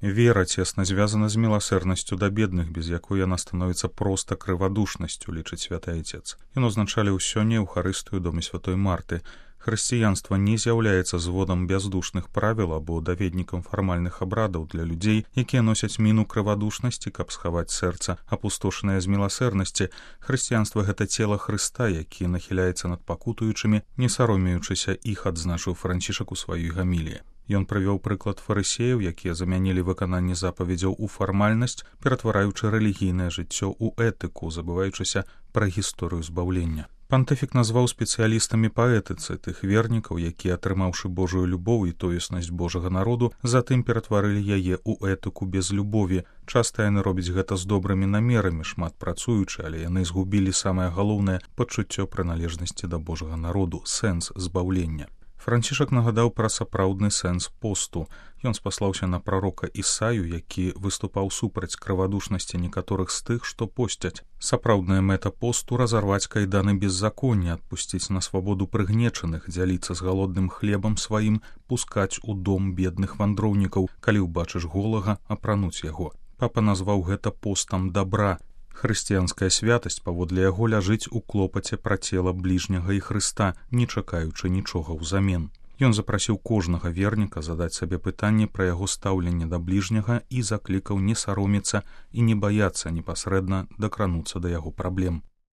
Вера цесна звязана з міласэрнасцю да бедных, без якой яна становіцца проста крывадушнасцю, лічыць святы айцец. Ён узначаліў сёння Еўхарыстыю ў доме святой Марты. Хрысціянства не з'яўляецца зводам бяздушных правіл або даведнікам фармальных абрадаў для людзей, якія носяць міну крывадушнасці, каб схаваць сэрца, апустошанае з міласэрнасці. Хрысціянства — гэта цела Хрыста, які нахіляецца над пакутуючымі, не саромеючыся іх, адзначыў Францішак у сваёй гаміліі. Ён прывёў прыклад фарысеяў, якія замянілі выкананне запаведзяў у фармальнасць, ператвараючы рэлігійнае жыццё ў этыку, забываючыся пра гісторыю збаўлення. Пантыфік назваў спецыялістамі па этыцы тых вернікаў, якія, атрымаўшы Божую любоў і тоеснасць Божага народу, затым ператварылі яе ў этыку без любові. Часта яны робяць гэта з добрымі намерамі, шмат працуючы, але яны згубілі самае галоўнае пачуццё прыналежнасці да Божага народу, сэнс збаўлення. Францішак нагадаў пра сапраўдны сэнс посту. Ён спаслаўся на прарока Ісаю, які выступаў супраць крывадушнасці некаторых з тых, што посцяць. Сапраўдная мэта посту — разарваць кайданы беззаконня, адпусціць на свабоду прыгнечаных, дзяліцца з галодным хлебам сваім, пускаць у дом бедных вандроўнікаў, калі ўбачыш голага, апрануць яго. Папа назваў гэта постам дабра. Хрысціянская святасць, паводле яго, ляжыць у клопаце пра цела бліжняга і Хрыста, не чакаючы нічога ўзамен. Ён запрасіў кожнага верніка задаць сабе пытанне пра яго стаўленне да бліжняга і заклікаў не саромецца і не баяцца непасрэдна дакрануцца да яго праблем.